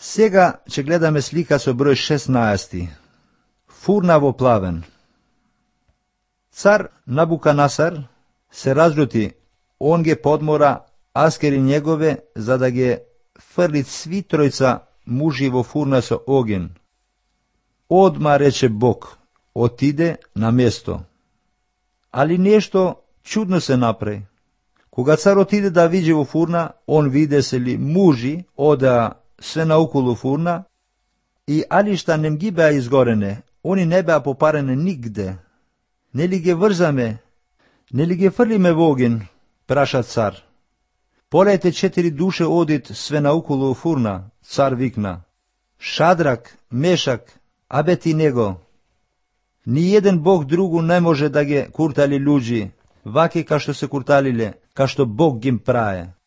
Сега ќе гледаме слика со број 16. Фурна во плавен. Цар Набуканасар се разлюти, он ги подмора аскери негове за да ги фрли сви тројца мужи во фурна со оген. Одма рече Бог, отиде на место. Али нешто чудно се направи. Кога цар отиде да види во фурна, он виде се ли мужи одеа све наоколу фурна и алишта нем ги беа изгорене, они не беа попарене нигде. Нели ги врзаме, нели ги фрлиме во оген, праша цар. Полете 4 душе одит све наоколу фурна, цар викна. Шадрак, Мешак, Абедиnego. Ни еден Бог другу не може да ги куртали луѓи, ваки кашто се курталиле, кашто Бог гим прае.